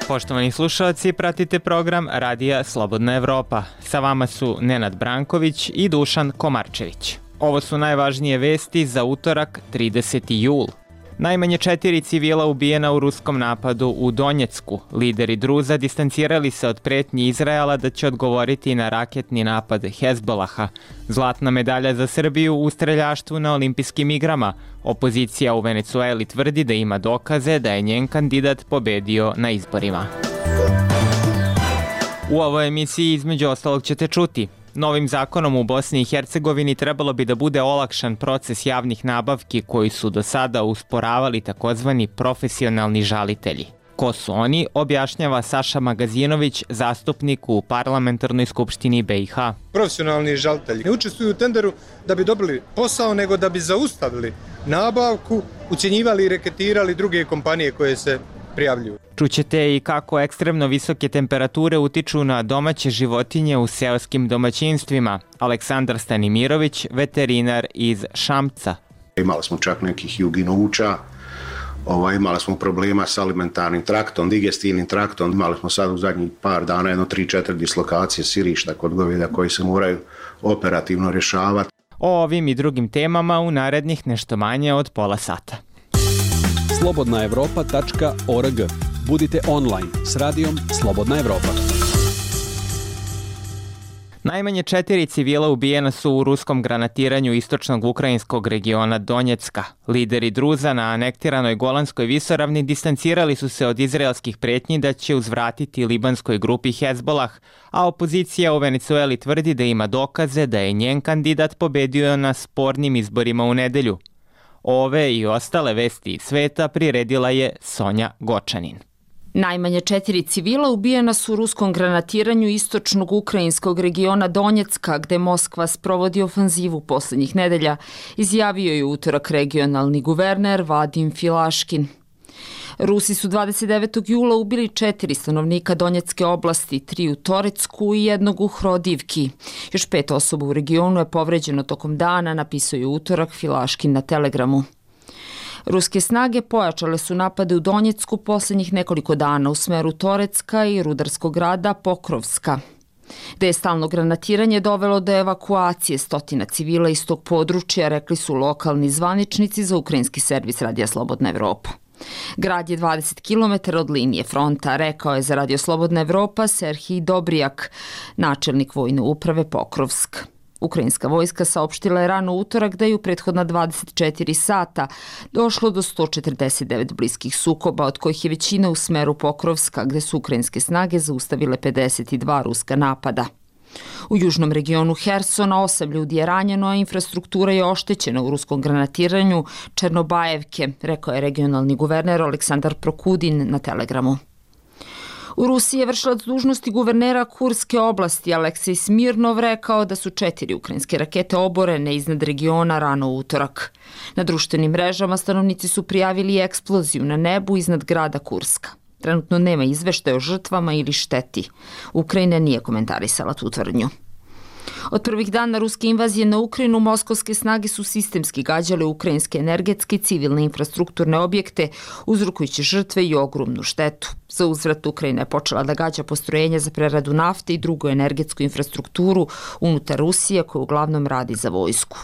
Poštovani slušalci, pratite program Radija Slobodna Evropa. Sa vama su Nenad Branković i Dušan Komarčević. Ovo su najvažnije vesti za utorak 30. jul. Najmanje 4 civila ubijena u ruskom napadu u Donjecku. Lideri Druza distancirali se od pretnji Izraela da će odgovoriti na raketni napad Hezbolaha. Zlatna medalja za Srbiju u streljaštvu na olimpijskim igrama. Opozicija u Venecueli tvrdi da ima dokaze da je njen kandidat pobedio na izborima. U ovoj emisiji između ostalog ćete čuti: novim zakonom u Bosni i Hercegovini trebalo bi da bude olakšan proces javnih nabavki koji su do sada usporavali takozvani profesionalni žalitelji. Ko su oni, objašnjava Saša Magazinović, zastupnik u Parlamentarnoj skupštini BiH. Profesionalni žalitelji ne učestvuju u tenderu da bi dobili posao, nego da bi zaustavili nabavku, ucjenjivali i reketirali druge kompanije koje se prijavljuju. Čućete i kako ekstremno visoke temperature utiču na domaće životinje u seoskim domaćinstvima. Aleksandar Stanimirović, veterinar iz Šamca. Imali smo čak nekih juginuća, imali smo problema s alimentarnim traktom, digestivnim traktom. Imali smo sad u zadnjih par dana 3-4 dislokacije sirišta kod goveda koji se moraju operativno rješavati. O ovim i drugim temama u narednih nešto manje od pola sata. slobodnaevropa.org. Budite online s radijom Slobodna Evropa. Najmanje 4 civila ubijena su u ruskom granatiranju istočnog ukrajinskog regiona Donjecka. Lideri Druza na anektiranoj Golanskoj visoravni distancirali su se od izraelskih pretnji da će uzvratiti libanskoj grupi Hezbolah, a opozicija u Venecueli tvrdi da ima dokaze da je njen kandidat pobedio na spornim izborima u nedelju. Ove i ostale vesti iz sveta priredila je Sonja Gočanin. Najmanje 4 civila ubijena su u ruskom granatiranju istočnog ukrajinskog regiona Donjecka, gde Moskva sprovodi ofanzivu poslednjih nedelja, izjavio je utorak regionalni guverner Vadim Filaškin. Rusi su 29. jula ubili 4 stanovnika Donjecke oblasti, 3 u Torecku i 1 u Hrodivki. Još 5 osoba u regionu je povređeno tokom dana, napisao je utorak Filaškin na Telegramu. Ruske snage pojačale su napade u Donjecku poslednjih nekoliko dana u smeru Torecka i rudarskog grada Pokrovska, gde je stalno granatiranje dovelo do evakuacije stotina civila iz tog područja, rekli su lokalni zvaničnici za ukrajinski servis Radija Slobodna Evropa. Grad je 20 km od linije fronta, rekao je za Radio Slobodna Evropa Serhij Dobrijak, načelnik vojne uprave Pokrovsk. Ukrajinska vojska saopštila je rano utorak da je u prethodna 24 sata došlo do 149 bliskih sukoba, od kojih je većina u smeru Pokrovska, gde su ukrajinske snage zaustavile 52 ruska napada. U južnom regionu Hersona 8 ljudi je ranjeno, a infrastruktura je oštećena u ruskom granatiranju Černobajevke, rekao je regionalni guverner Aleksandar Prokudin na Telegramu. U Rusiji je vršilac dužnosti guvernera Kurske oblasti Aleksej Smirnov rekao da su 4 ukrajinske rakete oborene iznad regiona rano u utorak. Na društvenim mrežama stanovnici su prijavili eksploziju na nebu iznad grada Kurska. Trenutno nema izveštaja o žrtvama ili šteti. Ukrajina nije komentarisala tu tvrdnju. Od prvih dana ruske invazije na Ukrajinu, moskovske snage su sistemski gađale ukrajinske energetske i civilne infrastrukturne objekte, uzrokujući žrtve i ogromnu štetu. Za uzvrat Ukrajina je počela da gađa postrojenja za preradu nafte i drugu energetsku infrastrukturu unutar Rusije, koja uglavnom radi za vojsku.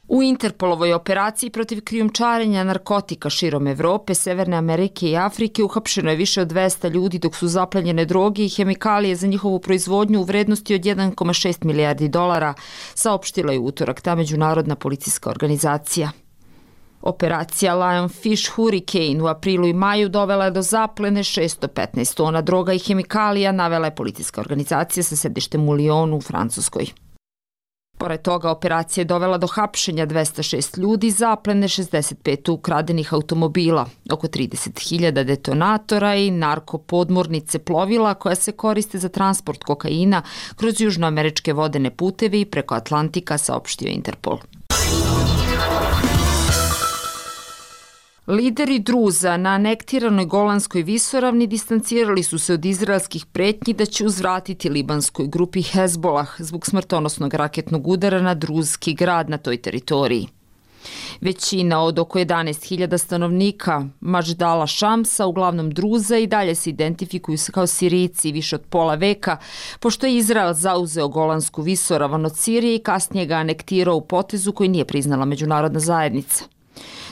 U Interpolovoj operaciji protiv krijumčarenja narkotika širom Evrope, Severne Amerike i Afrike uhapšeno je više od 200 ljudi, dok su zaplenjene droge i hemikalije za njihovu proizvodnju u vrednosti od 1,6 milijardi dolara, saopštila je utorak ta međunarodna policijska organizacija. Operacija Lionfish Hurricane u aprilu i maju dovela je do zaplene 615 tona droga i hemikalija, navela je policijska organizacija sa sedištem u Lyonu u Francuskoj. Pored toga, operacija je dovela do hapšenja 206 ljudi, zaplene 65 ukradenih automobila, oko 30.000 detonatora i narkopodmornice plovila koja se koriste za transport kokaina kroz južnoameričke vodene puteve i preko Atlantika, saopštio Interpol. Lideri Druza na anektiranoj Golanskoj visoravni distancirali su se od izraelskih pretnji da će uzvratiti libanskoj grupi Hezbolah zbog smrtonosnog raketnog udara na druzski grad na toj teritoriji. Većina od oko 11.000 stanovnika Majdala Šamsa, uglavnom Druza, i dalje se identifikuju kao Sirijci više od pola veka, pošto je Izrael zauzeo Golansku visoravan od Sirije i kasnije ga anektirao u potezu koji nije priznala međunarodna zajednica.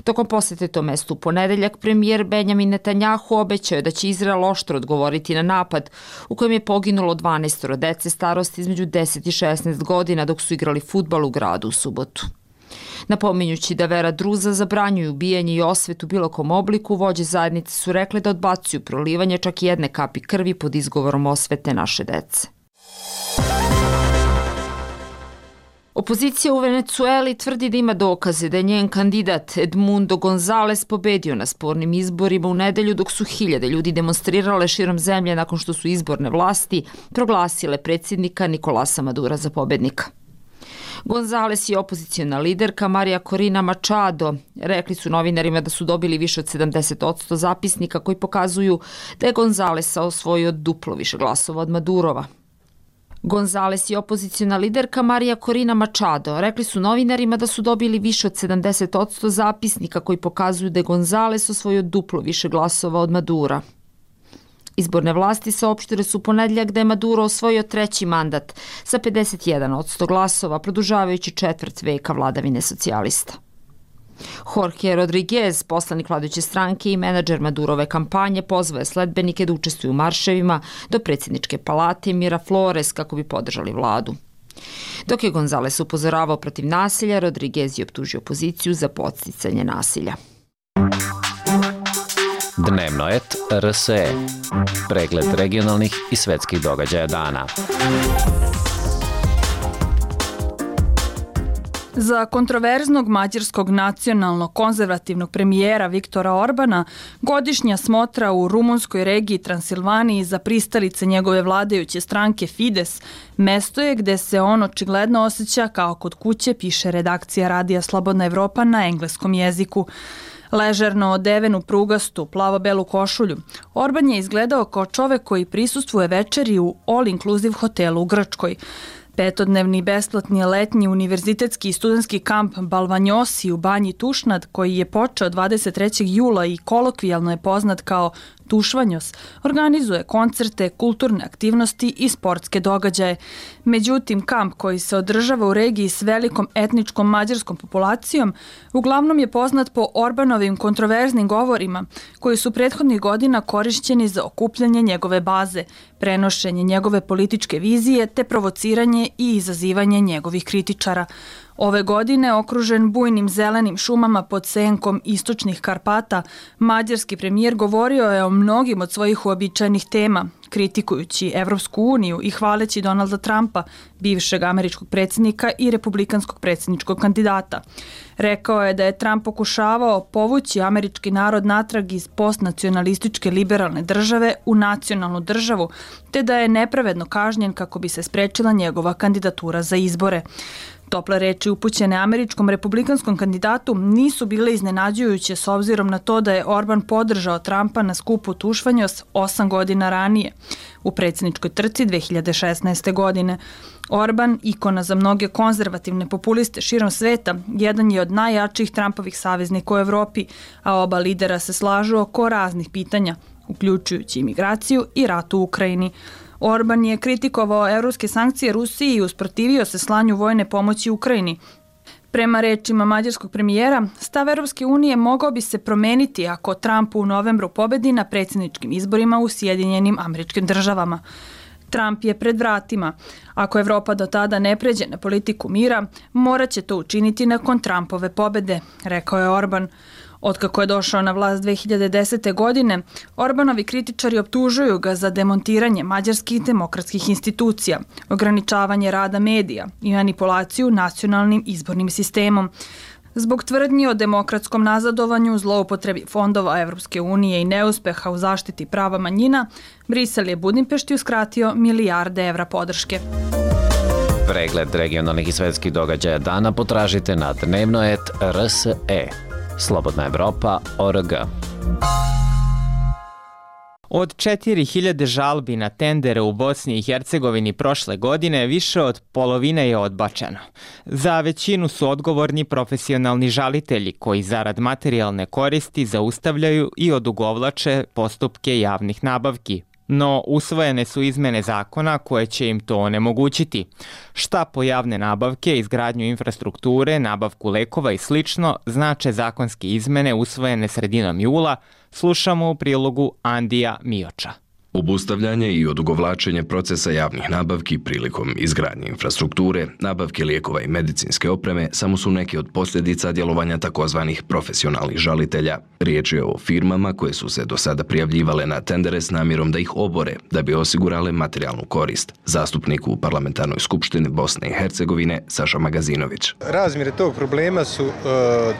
Tokom posete tom mestu u ponedeljak, premijer Benjamin Netanjahu obećao je da će Izrael oštro odgovoriti na napad u kojem je poginulo 12 dece starosti između 10 i 16 godina dok su igrali fudbal u gradu u subotu. Napominjući da vera Druza zabranjuju ubijanje i osvetu u bilo kom obliku, vođe zajednice su rekli da odbacuju prolivanje čak i jedne kapi krvi pod izgovorom osvete naše dece. Opozicija u Venecueli tvrdi da ima dokaze da je njen kandidat Edmundo González pobedio na spornim izborima u nedelju dok su hiljade ljudi demonstrirale širom zemlje nakon što su izborne vlasti proglasile predsjednika Nicolasa Madura za pobednika. González i opozicijona liderka Maria Corina Machado rekli su novinarima da su dobili više od 70% zapisnika koji pokazuju da je González osvojio duplo više glasova od Madurova. González i opozicijona liderka Maria Corina Machado rekli su novinarima da su dobili više od 70% zapisnika koji pokazuju da je González osvojio duplo više glasova od Madura. Izborne vlasti saopštile su u ponedeljak da je Maduro osvojio treći mandat sa 51% glasova, produžavajući četvrt veka vladavine socijalista. Jorge Rodriguez, poslanik vladajuće stranke i menadžer Madurove kampanje, pozvao je sledbenike da učestvuju u marševima do predsjedničke palate Miraflores kako bi podržali vladu. Dok je González upozoravao protiv nasilja, Rodriguez je optužio opoziciju za podsticanje nasilja. Dnevno et RSE. Pregled regionalnih i svetskih događaja dana. Za kontroverznog mađarskog nacionalnog konzervativnog premijera Viktora Orbana, godišnja smotra u rumunskoj regiji Transilvaniji za pristalice njegove vladajuće stranke Fides mesto je gde se on očigledno osjeća kao kod kuće, piše redakcija Radija Slobodna Evropa na engleskom jeziku. Ležerno odeven u prugastu, plavo-belu košulju, Orban je izgledao kao čovek koji prisustvuje večeri u all-inclusive hotelu u Grčkoj. Petodnevni besplatni letnji univerzitetski i studentski kamp Balvanjosi u Banji Tušnad, koji je počeo 23. jula i kolokvijalno je poznat kao Tušvanjos, organizuje koncerte, kulturne aktivnosti i sportske događaje. Međutim, kamp koji se održava u regiji s velikom etničkom mađarskom populacijom uglavnom je poznat po Orbanovim kontroverznim govorima koji su prethodnih godina korišćeni za okupljanje njegove baze, prenošenje njegove političke vizije te provociranje i izazivanje njegovih kritičara. Ove godine, okružen bujnim zelenim šumama pod senkom istočnih Karpata, mađarski premijer govorio je o mnogim od svojih uobičajenih tema, kritikujući Evropsku uniju i hvaleći Donalda Trumpa, bivšeg američkog predsjednika i republikanskog predsjedničkog kandidata. Rekao je da je Trump pokušavao povući američki narod natrag iz postnacionalističke liberalne države u nacionalnu državu, te da je nepravedno kažnjen kako bi se sprečila njegova kandidatura za izbore. Tople reči upućene američkom republikanskom kandidatu nisu bile iznenađujuće s obzirom na to da je Orban podržao Trumpa na skupu Tušvanjos 8 godina ranije, u predsjedničkoj trci 2016. godine. Orban, ikona za mnoge konzervativne populiste širom sveta, jedan je od najjačih Trumpovih saveznika u Evropi, a oba lidera se slažu oko raznih pitanja, uključujući imigraciju i rat u Ukrajini. Orban je kritikovao evropske sankcije Rusiji i usprotivio se slanju vojne pomoći Ukrajini. Prema rečima mađarskog premijera, stav Evropske unije mogao bi se promeniti ako Trump u novembru pobedi na predsjedničkim izborima u Sjedinjenim Američkim Državama. Trump je pred vratima. Ako Evropa do tada ne pređe na politiku mira, morat će to učiniti nakon Trumpove pobede, rekao je Orban. Otkako je došao na vlast 2010. godine, Orbanovi kritičari optužuju ga za demontiranje mađarskih demokratskih institucija, ograničavanje rada medija i manipulaciju nacionalnim izbornim sistemom. Zbog tvrdnji o demokratskom nazadovanju, zloupotrebi fondova Evropske unije i neuspeha u zaštiti prava manjina, Brisel je Budimpešti uskratio milijarde evra podrške. Pregled regionalnih i svetskih događaja dana potražite na dnevno.rt.se. slobodnaevropa.org. Od 4000 žalbi na tendere u Bosni i Hercegovini prošle godine više od polovine je odbačeno. Za većinu su odgovorni profesionalni žalitelji koji zarad materijalne koristi zaustavljaju i odugovlače postupke javnih nabavki. No, usvojene su izmene zakona koje će im to onemogućiti. Šta po javne nabavke, izgradnju infrastrukture, nabavku lekova i slično znače zakonske izmene usvojene sredinom jula, slušamo u prilogu Andija Mioča. Obustavljanje i odugovlačenje procesa javnih nabavki prilikom izgradnje infrastrukture, nabavke lijekova i medicinske opreme samo su neke od posljedica djelovanja takozvanih profesionalnih žalitelja. Riječ je o firmama koje su se do sada prijavljivale na tendere s namjerom da ih obore, da bi osigurale materijalnu korist. Zastupnik u Parlamentarnoj skupštini Bosne i Hercegovine Saša Magazinović. Razmjere tog problema su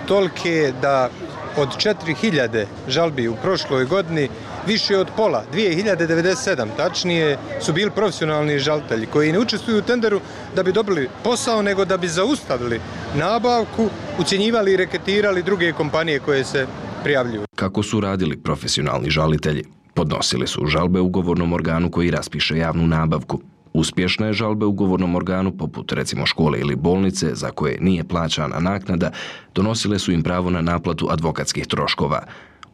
tolike da od 4000 žalbi u prošloj godini više od pola, 2097 tačnije, su bili profesionalni žalitelji koji ne učestvuju u tenderu da bi dobili posao, nego da bi zaustavili nabavku, ucjenjivali i reketirali druge kompanije koje se prijavljuju. Kako su radili profesionalni žalitelji? Podnosili su žalbe ugovornom organu koji raspiše javnu nabavku. Uspješne žalbe ugovornom organu, poput recimo škole ili bolnice za koje nije plaćana naknada, donosile su im pravo na naplatu advokatskih troškova.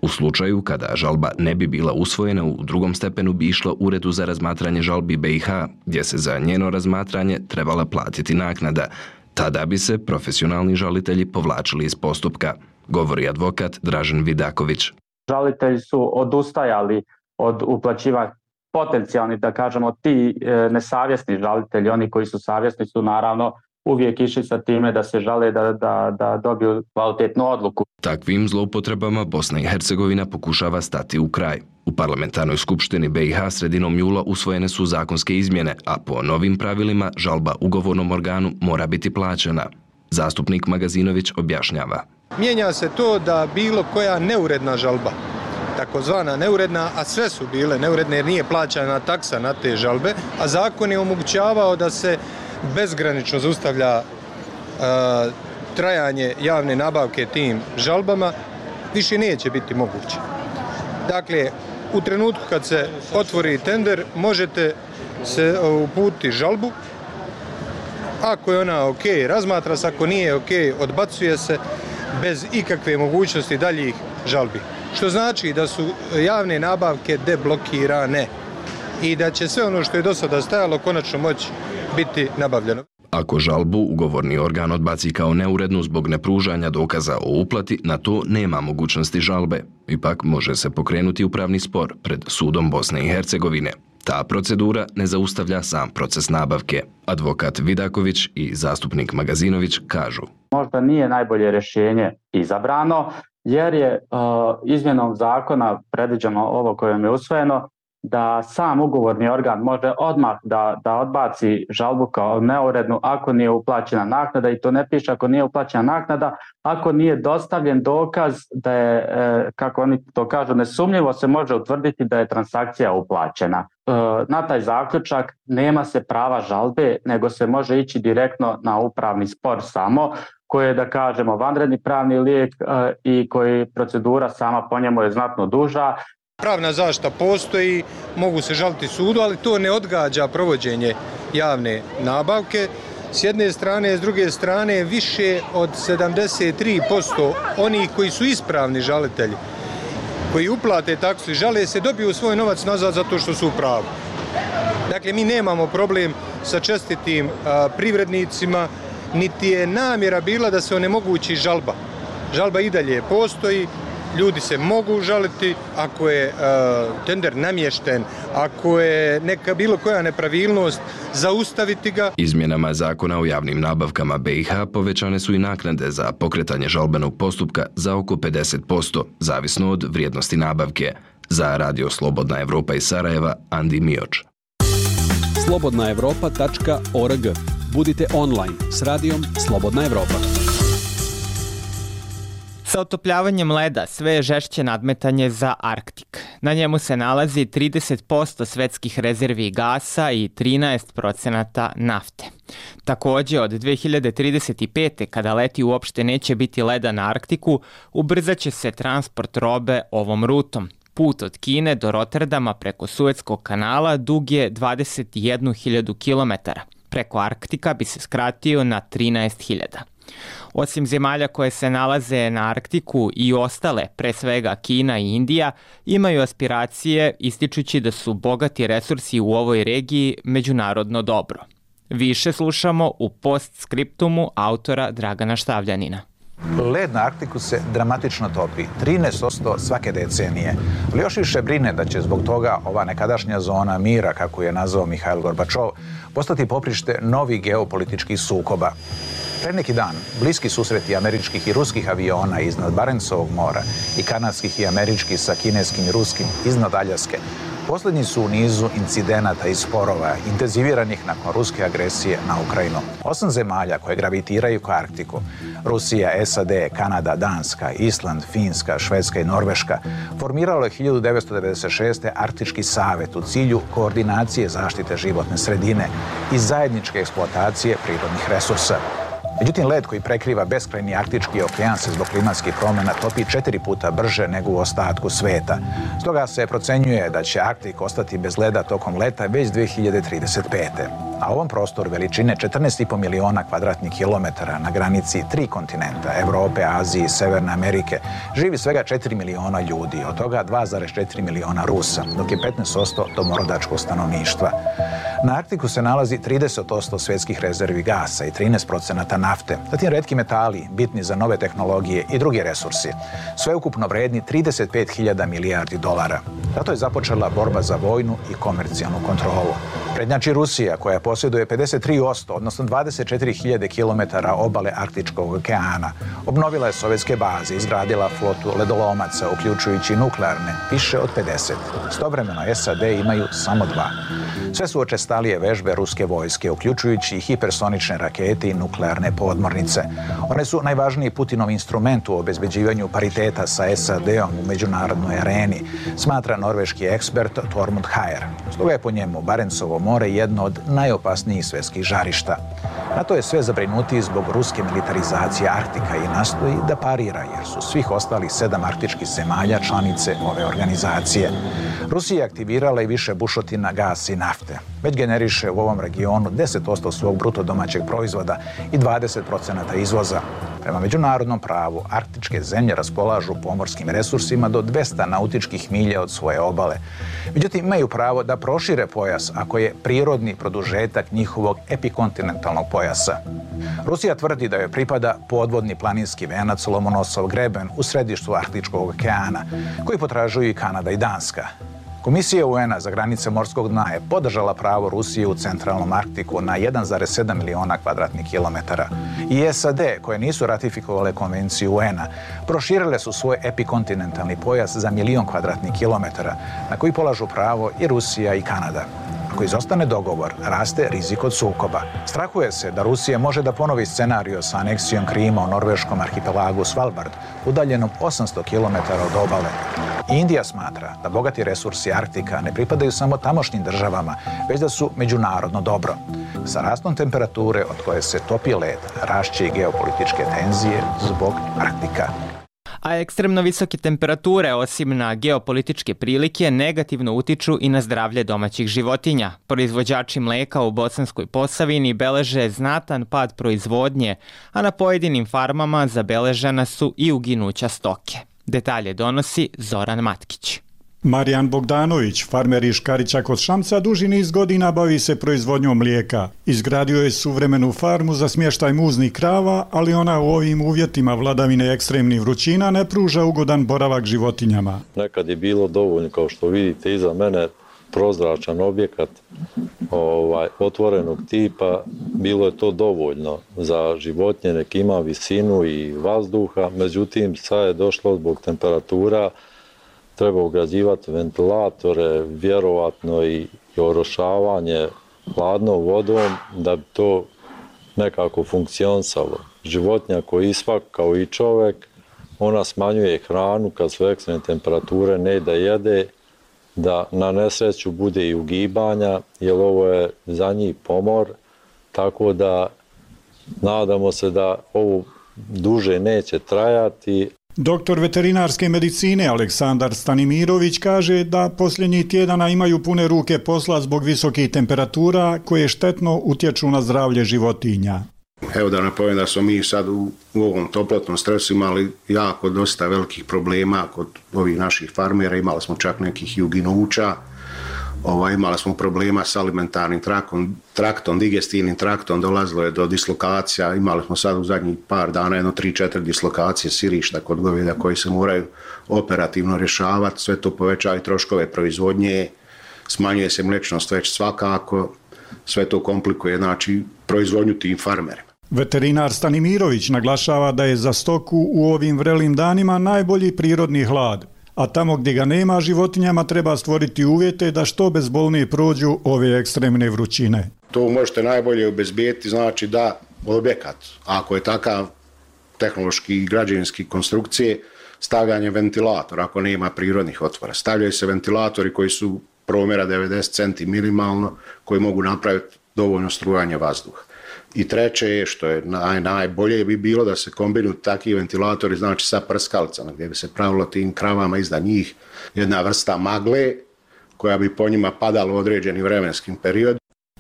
U slučaju kada žalba ne bi bila usvojena, u drugom stepenu bi išla Uredu za razmatranje žalbi BiH, gdje se za njeno razmatranje trebala platiti naknada. Tada bi se profesionalni žalitelji povlačili iz postupka, govori advokat Dražen Vidaković. Žalitelji su odustajali od uplaćivanja, potencijalni, da kažemo, ti nesavjesni žalitelji, oni koji su savjesni su naravno uvijek išli sa time da se žale da dobiju kvalitetnu odluku. Takvim zloupotrebama Bosna i Hercegovina pokušava stati u kraj. U Parlamentarnoj skupštini BiH sredinom jula usvojene su zakonske izmjene, a po novim pravilima žalba ugovornom organu mora biti plaćena. Zastupnik Magazinović objašnjava. Mijenja se to da bilo koja neuredna žalba, takozvana neuredna, a sve su bile neuredne jer nije plaćana taksa na te žalbe, a zakon je omogućavao da se bezgranično zaustavlja trajanje javne nabavke tim žalbama, više neće biti moguće. Dakle, u trenutku kad se otvori tender, možete se uputiti žalbu. Ako je ona ok, razmatra se, ako nije ok, odbacuje se bez ikakve mogućnosti daljih žalbi. Što znači da su javne nabavke deblokirane i da će sve ono što je do sada stajalo konačno moći biti nabavljeno. Ako žalbu ugovorni organ odbaci kao neurednu zbog nepružanja dokaza o uplati, na to nema mogućnosti žalbe. Ipak može se pokrenuti upravni spor pred sudom Bosne i Hercegovine. Ta procedura ne zaustavlja sam proces nabavke. Advokat Vidaković i zastupnik Magazinović kažu. Možda nije najbolje rješenje izabrano, jer je izmjenom zakona predviđeno ovo kojem je usvojeno, da sam ugovorni organ može odmah da odbaci žalbu kao neurednu ako nije uplaćena naknada, i to ne piše ako nije uplaćena naknada, ako nije dostavljen dokaz da je, kako oni to kažu, nesumnjivo se može utvrditi da je transakcija uplaćena. Na taj zaključak nema se prava žalbe, nego se može ići direktno na upravni spor samo, koji je, da kažemo, vanredni pravni lijek i koji procedura sama po njemu je znatno duža. Pravna zaštita postoji, mogu se žaliti sudu, ali to ne odgađa provođenje javne nabavke. S jedne strane, s druge strane, više od 73% onih koji su ispravni žalitelji, koji uplate taksu i žale se, dobiju svoj novac nazad zato što su u pravu. Dakle, mi nemamo problem sa čestitim privrednicima, niti je namjera bila da se onemogući žalba. Žalba i dalje postoji, ljudi se mogu žaliti ako je tender namješten, ako je neka bilo koja nepravilnost, zaustaviti ga. Izmjenama zakona o javnim nabavkama BiH povećane su i naknade za pokretanje žalbenog postupka za oko 50%, zavisno od vrijednosti nabavke. Za Radio Slobodna Evropa iz Sarajeva, Andi Mioč. slobodnaevropa.org. Budite online s radijom Slobodna Evropa. Sa otopljavanjem leda sve je žešće nadmetanje za Arktik. Na njemu se nalazi 30% svetskih rezervi gasa i 13% nafte. Takođe, od 2035. kada leti uopšte neće biti leda na Arktiku, ubrzaće se transport robe ovom rutom. Put od Kine do Rotterdama preko Suetskog kanala dug je 21.000 km. Preko Arktika bi se skratio na 13.000. Osim zemalja koje se nalaze na Arktiku i ostale, pre svega Kina i Indija, imaju aspiracije ističući da su bogati resursi u ovoj regiji međunarodno dobro. Više slušamo u postskriptumu autora Dragana Štavljanina. Led na Arktiku se dramatično topi, 13% svake decenije. Ali još više brine da će zbog toga ova nekadašnja zona mira, kako je nazvao Mihail Gorbačov, postati poprište novih geopolitičkih sukoba. Pre neki dan, bliski susreti američkih i ruskih aviona iznad Barencovog mora i kanadskih i američkih sa kineskim i ruskim iznad Aljaske, poslednji su u nizu incidenata i sporova intenziviranih nakon ruske agresije na Ukrajinu. 8 zemalja koje gravitiraju ka Arktiku, Rusija, SAD, Kanada, Danska, Island, Finska, Švedska i Norveška, formiralo je 1996. Arktički savet u cilju koordinacije zaštite životne sredine i zajedničke eksploatacije prirodnih resursa. Međutim, led koji prekriva beskrajni Arktički okean se zbog klimatskih promjena topi 4 puta brže nego u ostatku sveta. Stoga se procenjuje da će Arktik ostati bez leda tokom leta već 2035. A ovom prostoru veličine 14,5 miliona kvadratnih kilometara na granici 3 kontinenta, Evrope, Azije i Severne Amerike, živi svega 4 miliona ljudi, od toga 2,4 miliona Rusa, dok je 15% domorodačkog stanovništva. Na Arktiku se nalazi 30% svjetskih rezervi gasa i 13% nafte, zatim retki metali, bitni za nove tehnologije i drugi resursi, sveukupno vredni 35.000 milijardi dolara. Zato je započela borba za vojnu i komercijalnu kontrolu. Prednjači Rusija, koja posjeduje 53%, odnosno 24.000 km obale Arktičkog okeana. Obnovila je sovjetske baze, izgradila flotu ledolomaca, uključujući nuklearne, više od 50. Istovremeno SAD imaju samo 2. Sve su učestalije vežbe ruske vojske, uključujući hipersonične rakete i nuklearne podmornice. One su najvažniji Putinov instrument u obezbeđivanju pariteta sa SAD-om u međunarodnoj areni, smatra norveški ekspert Tormund Hajer. Stoga je po njemu Barencovo more jedno od najopasnijih svjetskih žarišta. NATO je sve zabrinutiji zbog ruske militarizacije Arktika i nastoji da parira, jer su svih ostalih 7 arktičkih zemalja članice ove organizacije. Rusija je aktivirala i više bušotina gasa i nafte. Već generiše u ovom regionu 10% svog bruto domaćeg proizvoda i 20% izvoza. Prema međunarodnom pravu, arktičke zemlje raspolažu pomorskim resursima do 200 nautičkih milja od svoje obale. Međutim, imaju pravo da prošire pojas ako je prirodni produžetak njihovog epikontinentalnog pojasa. Rusija tvrdi da joj pripada podvodni planinski venac Lomonosov greben u središtu Arktičkog okeana, koji potražuju i Kanada i Danska. Komisija UN-a za granice morskog dna je podržala pravo Rusije u centralnom Arktiku na 1,7 miliona kvadratnih kilometara. I SAD, koje nisu ratifikovale konvenciju UN-a, proširile su svoj epikontinentalni pojas za 1 milion kvadratnih kilometara, na koji polažu pravo i Rusija i Kanada. Ako izostane dogovor, raste rizik od sukoba. Strahuje se da Rusija može da ponovi scenario sa aneksijom Krima u norveškom arhipelagu Svalbard, udaljenom 800 km od obale. Indija smatra da bogati resursi Arktika ne pripadaju samo tamošnjim državama, već da su međunarodno dobro. Sa rastom temperature od koje se topi led, rašće i geopolitičke tenzije zbog Arktika. A ekstremno visoke temperature, osim na geopolitičke prilike, negativno utiču i na zdravlje domaćih životinja. Proizvođači mleka u Bosanskoj Posavini beleže znatan pad proizvodnje, a na pojedinim farmama zabeležena su i uginuća stoke. Detalje donosi Zoran Matkić. Marijan Bogdanović, farmer iz Škarića kod Šamca, duži niz godina bavi se proizvodnjom mlijeka. Izgradio je suvremenu farmu za smještaj muznih krava, ali ona u ovim uvjetima vladavine ekstremnih vrućina ne pruža ugodan boravak životinjama. Nekad je bilo dovoljno, kao što vidite iza mene, prozračan objekat otvorenog tipa, bilo je to dovoljno za životinje, nek ima visinu i vazduha, međutim sad je došlo zbog temperatura, treba ugrađivati ventilatore, vjerovatno i orošavanje hladnom vodom da bi to nekako funkcionisalo. Životinja koji svak kao i čovjek ona smanjuje hranu kad su ekstremne temperature, ne da jede, da na nesreću bude i ugibanja, jer ovo je za njih pomor, tako da nadamo se da ovo duže neće trajati. Doktor veterinarske medicine Aleksandar Stanimirović kaže da posljednjih tjedana imaju pune ruke posla zbog visokih temperatura koje štetno utječu na zdravlje životinja. Evo da napomenem da smo mi sad u ovom toplotnom stresu imali jako dosta velikih problema kod ovih naših farmera, imali smo čak nekih i uginuća, imali smo problema s alimentarnim traktom, digestivnim traktom, dolazilo je do dislokacija, imali smo sad u zadnjih par dana 3-4 dislokacije sirišta kod goveda koji se moraju operativno rješavati, sve to povećava i troškove proizvodnje, smanjuje se mliječnost već svakako, sve to komplikuje znači proizvodnju tim farmerima. Veterinar Stanimirović naglašava da je za stoku u ovim vrelim danima najbolji prirodni hlad, a tamo gdje ga nema životinjama treba stvoriti uvjete da što bezbolnije prođu ove ekstremne vrućine. To možete najbolje obezbijeti, znači da objekat, ako je takav tehnološki i građevinski konstrukcije, stavljanje ventilatora ako nema prirodnih otvora. Stavljaju se ventilatori koji su promjera 90 centi minimalno, koji mogu napraviti dovoljno strujanje vazduha. I treće je, što je najbolje bi bilo da se kombinuju takvi ventilatori, znači sa prskalicama, gdje bi se pravilo tim kravama iznad njih jedna vrsta magle koja bi po njima padala u određeni vremenskim period.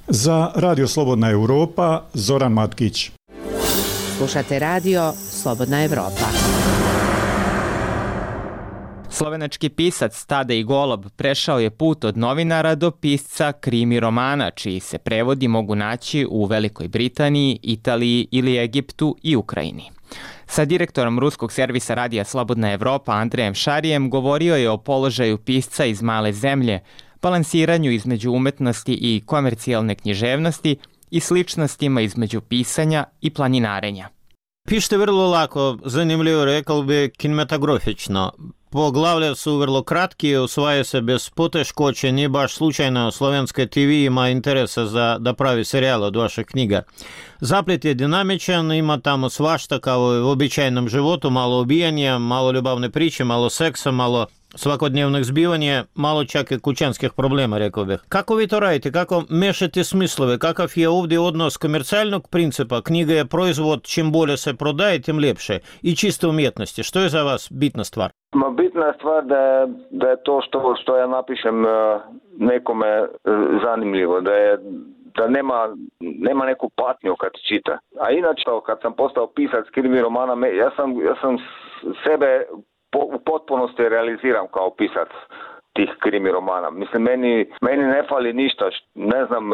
Za Radio Slobodna Europa, Zoran Matkić. Slušate Radio Slobodna Evropa. Slovenački pisac Tadej Golob prešao je put od novinara do pisca krimi romana, čiji se prevodi mogu naći u Velikoj Britaniji, Italiji ili Egiptu i Ukrajini. Sa direktorom ruskog servisa Radija Slobodna Evropa Andrejem Šarijem govorio je o položaju pisca iz male zemlje, balansiranju između umetnosti i komercijalne književnosti i sličnostima između pisanja i planinarenja. Pišete vrlo lako, zanimljivo, rekao bi kinematografično. Poglavlja su vrlo kratki, usvaja se bez poteškoće, nije baš slučajno Slovenska TV ima interesa da pravi serijal od vaših knjiga. Zaplet je dinamičan, ima tamo svašta kao i u običajnom životu, malo ubijanja, malo ljubavne priče, malo seksa, malo svakodnevnih zbivanja, malo čak i kućanskih problema, rekao bih. Kako vi to radite? Kako mešate smislove? Kakav je ovdje odnos komercijalnog principa? Knjiga je proizvod, čim bolje se prodaje, tim ljepše. I čiste umjetnosti. Što je za vas bitna stvar? Bitna je stvar da je to što ja napišem nekome zanimljivo, da nema neku patnju kad čita. A inače, kad sam postao pisac krimi romana, ja sam sebe u potpunosti realiziram kao pisac tih krimi romana. Mislim, meni ne fali ništa, ne znam,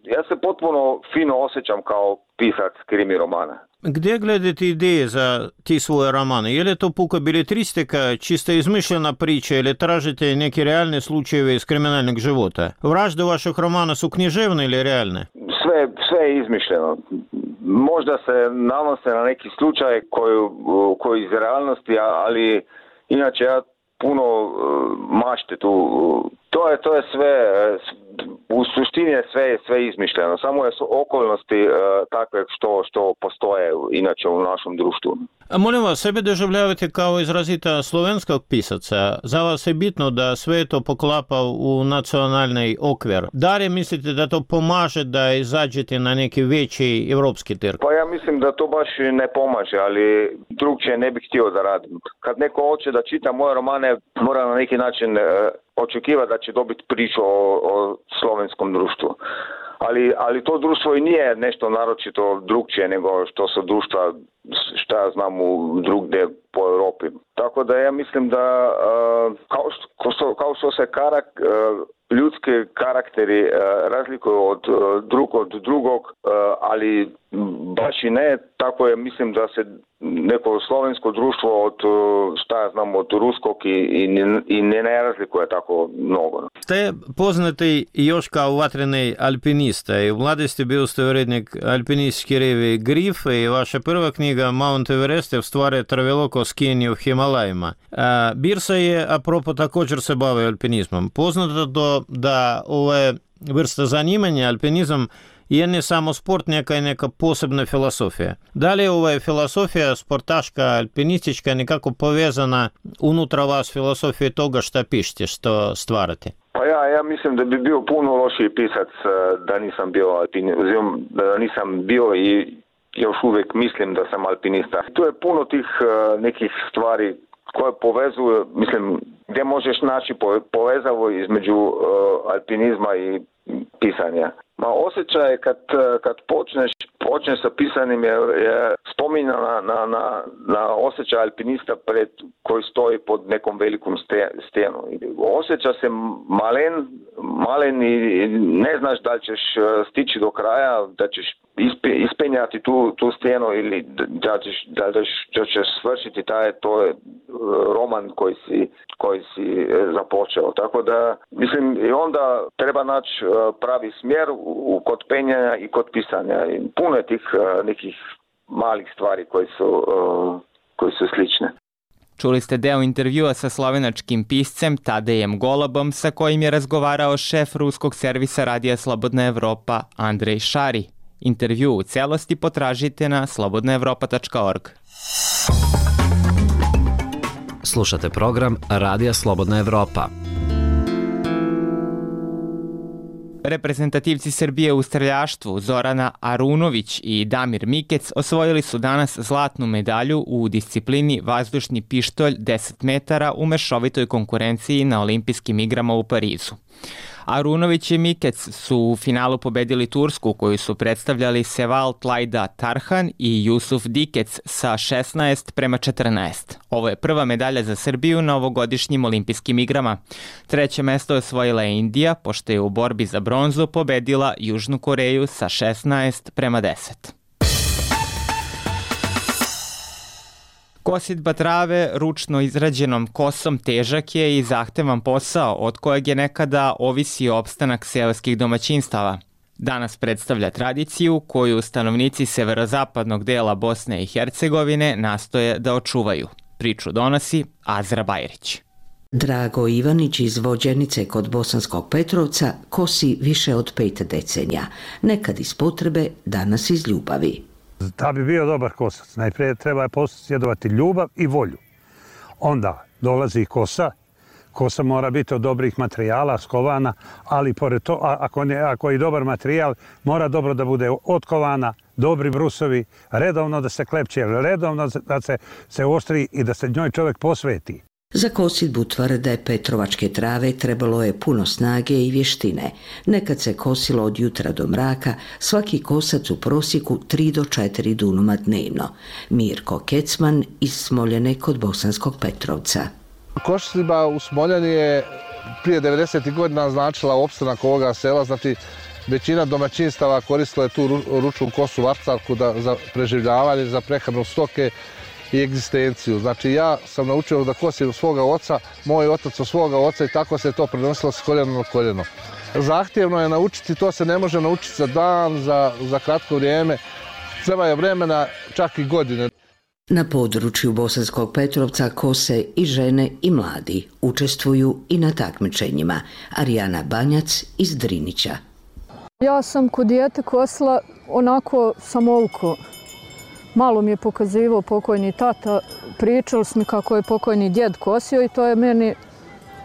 ja se potpuno fino osjećam kao pisac krimi romana. Gdje gledate ideje za ti svoje romane? Je li to puka beletristika, čista izmišljena priča ili tražite neke realne slučajeve iz kriminalnog života? Vražde vaših romana su književne ili realne? Sve je izmišljeno. Možda se nanose na neki slučaj koji iz realnosti, ali inače ja puno mašte tu. To je sve, u suštini je sve izmišljeno. Samo je okolnosti takve što postoje inače u našem društvu. A molim vas, sebe doživljavate kao izrazita slovenskog pisaca. Za vas je bitno da sve to poklapa u nacionalni okvir. Da li mislite da to pomaže da izađete na neki veći evropski trg? Pa ja mislim da to baš ne pomaže, ali drugčije ne bih htio da radim. Kad neko hoće da čita moje romane, mora na neki način očekivati da će dobiti priču o slovenskom društvu. Ali to društvo i nije nešto naročito drugčije nego što su društva, šta ja znam, drugdje po Europi. Tako da ja mislim da kao što se ljudski karakteri razlikuju od drugog, ali baš i ne, tako je, mislim da se neko slovensko društvo od ruskog i ne razlikuje tako mnogo. Ste poznati još kao vatreni alpinista i u mladosti bio ste urednik alpinističke revije Grif i vaša prva knjiga Mount Everest je u stvari traveloko skijenje u Himalajima. Birsa je, apropo, također se bavi alpinizmom. Poznato da ove vrste zanimanja, alpinizam, je ne samo sport, neka posebna filosofija. Da li je filosofija sportaška, alpinistička nekako povezana unutra vas filosofije toga šta pišete, što stvarate? Pa ja mislim da bi bio puno lošiji pisac da nisam bio da nisam bio i još uvijek mislim da sam alpinista. Tu je puno tih nekih stvari koje povezuju, mislim, gdje možeš naći povezavo između alpinizma i pisanja. Osjećaj kad počneš sa pisanjem je spominja na osjećaj alpinista koji stoji pod nekom velikom stenu. Osjeća se malen i ne znaš da li ćeš stići do kraja, da ćeš ispenjati tu stenu ili da ćeš svršiti to je roman koji si započeo. Tako da, mislim, i onda treba naći pravi smjer kod penjanja i kod pisanja. I puno je tih nekih malih stvari koji su slične. Čuli ste deo intervjua sa slovenačkim piscem Tadejem Golobom, sa kojim je razgovarao šef ruskog servisa Radija Slobodna Evropa Andrej Šari. Intervju u celosti potražite na slobodnaevropa.org. Slušate program Radija Slobodna Evropa. Reprezentativci Srbije u streljaštvu Zorana Arunović i Damir Mikec osvojili su danas zlatnu medalju u disciplini vazdušni pištolj 10 metara u mešovitoj konkurenciji na olimpijskim igrama u Parizu. Arunović i Mikec su u finalu pobedili Tursku, koju su predstavljali Seval Tlajda Tarhan i Jusuf Dikec sa 16:14. Ovo je prva medalja za Srbiju na ovogodišnjim olimpijskim igrama. Treće mesto osvojila je Indija, pošto je u borbi za bronzu pobedila Južnu Koreju sa 16:10. Kosidba trave ručno izrađenom kosom težak je i zahtevan posao od kojeg je nekada ovisio opstanak seoskih domaćinstava. Danas predstavlja tradiciju koju stanovnici severozapadnog dela Bosne i Hercegovine nastoje da očuvaju. Priču donosi Azra Bajrić. Drago Ivanić iz Vođenice kod Bosanskog Petrovca kosi više od 5 decenija. Nekad iz potrebe, danas iz ljubavi. Da bi bio dobar kosac, najprije treba posjedovati ljubav i volju. Onda dolazi kosa. Kosa mora biti od dobrih materijala, skovana, ali pored to, ako je dobar materijal, mora dobro da bude otkovana, dobri brusovi, redovno da se klepće, redovno da se oštri i da se njoj čovjek posveti. Za kosidbu tvrde petrovačke trave trebalo je puno snage i vještine. Nekad se kosilo od jutra do mraka, svaki kosac u prosjeku 3 do 4 dunuma dnevno. Mirko Kecman iz Smoljane kod Bosanskog Petrovca. Kosidba u Smoljani je prije 90. godina značila opstanak ovoga sela, znači većina domaćinstava koristila je tu ručnu kosu varcarku za preživljavanje, za prehranu stoke i egzistenciju. Znači ja sam naučio da kosim svoga oca, moj otac od svoga oca i tako se to prenosilo s koljena na koljeno. Zahtjevno je naučiti, to se ne može naučiti za dan, za kratko vrijeme. Treba je vremena, čak i godine. Na području Bosanskog Petrovca kose i žene i mladi. Učestvuju i na takmičenjima. Arijana Banjac iz Drinića. Ja sam kod dijete kosila onako samovuko. Malo mi je pokazivao pokojni tata, pričali smo kako je pokojni djed kosio i to je meni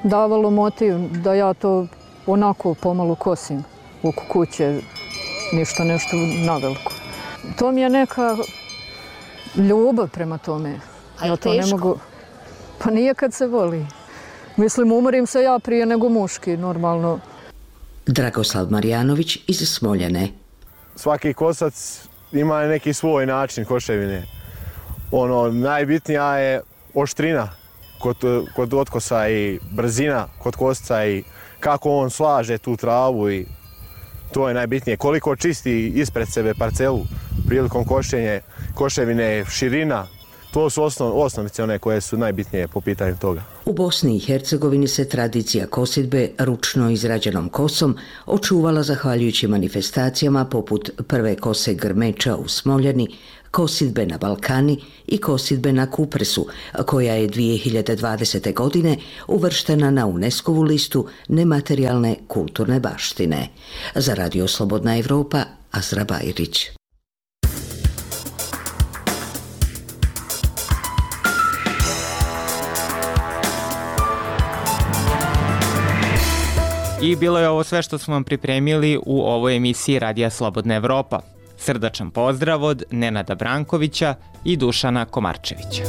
davalo motiv da ja to onako pomalo kosim oko kuće, ništa nešto naveliko. To mi je neka ljubav prema tome. A je teško? Pa nije kad se voli. Mislim, umorim se ja prije nego muški, normalno. Dragoslav Marjanović iz Smoljane. Svaki kosac ima neki svoj način koševine. Najbitnija je oštrina kod otkosa i brzina kod kosca i kako on slaže tu travu i to je najbitnije. Koliko čisti ispred sebe parcelu prilikom koševine, širina. To su osnovice one koje su najbitnije po pitanju toga. U Bosni i Hercegovini se tradicija kosidbe ručno izrađenom kosom očuvala zahvaljujući manifestacijama poput prve kose grmeča u Smoljani, Kosidbe na Balkani i kosidbe na Kupresu, koja je 2020. godine uvrštena na UNESCO-vu listu nematerijalne kulturne baštine. Za Radio Slobodna Evropa, Azra Bajrić. I bilo je ovo sve što smo vam pripremili u ovoj emisiji Radija Slobodna Evropa. Srdačan pozdrav od Nenada Brankovića i Dušana Komarčevića.